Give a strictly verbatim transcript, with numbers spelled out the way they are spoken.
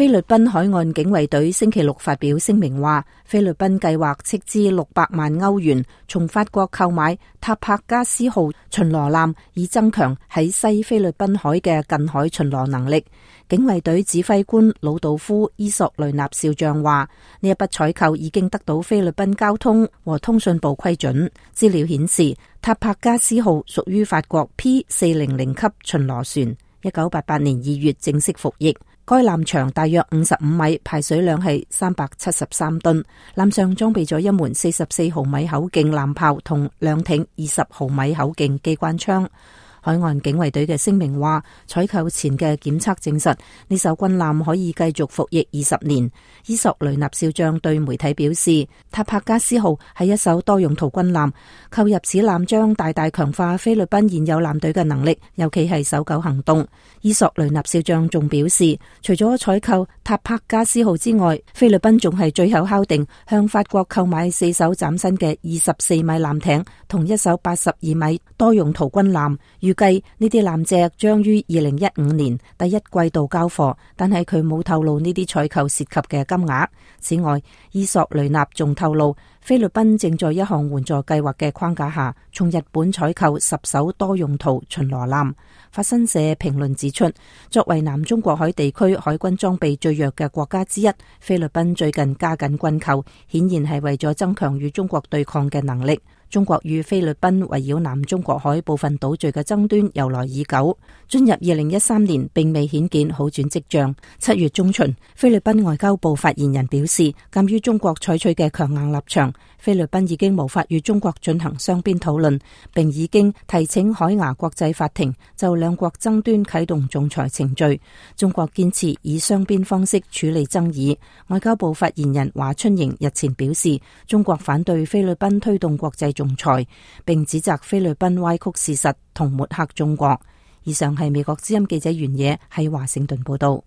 菲律賓海岸警衛隊星期六發表聲明話，菲律賓計劃斥資六百萬歐元從法國購買塔帕加斯號巡邏艦，以增強喺西菲律賓海嘅近海巡邏能力。警衛隊指揮官魯道夫伊索雷納少將話，呢一筆採購已經得到菲律賓交通和通訊部批准。資料顯示，塔帕加斯號屬於法國 P 四零零級巡邏船，一九八八年二月正式服役。該艦長大約五十五米，排水量係三百七十三噸。艦上裝備咗一門四十四毫米口徑艦炮同兩挺二十毫米口徑機關槍。海岸警衛隊嘅聲明話，採購前嘅檢測證實呢艘軍艦可以繼續服役二十年。伊索雷納少將對媒體表示，塔帕加斯號係一艘多用途軍艦，購入此艦將大大強化菲律賓現有艦隊嘅能力，尤其係搜救行動。伊索雷納少將仲表示，除咗採購塔帕加斯號之外，菲律賓仲係最後敲定向法國購買四艘嶄新嘅二十四米艦艇同一艘八十二米多用途軍艦。預計呢啲艦隻將於二零一五年第一季度交貨，但係佢冇透露呢啲採購涉及嘅金額。此外，伊索雷納仲透露，菲律賓正在一項援助計劃嘅框架下，從日本採購十艘多用途巡邏艦。法新社評論指出，作為南中國海地區海軍裝備最弱嘅國家之一，菲律賓最近加緊軍購，顯然係為咗增強與中國對抗嘅能力。中國與菲律賓圍繞南中國海部分島嶼嘅爭端由來已久，進入二零一三年並未顯見好轉跡象。七月中旬，菲律賓外交部發言人表示，鑒於中國採取嘅強硬立場，菲律賓已經無法與中國進行雙邊討論，並已經提請海牙國際法庭就兩國爭端啟動仲裁程序。中國堅持以雙邊方式處理爭議。外交部發言人華春瑩日前表示，中國反對菲律賓推動國際仲裁，並指責菲律賓歪曲事實同抹黑中國。以上係美國之音記者袁野喺華盛頓報道。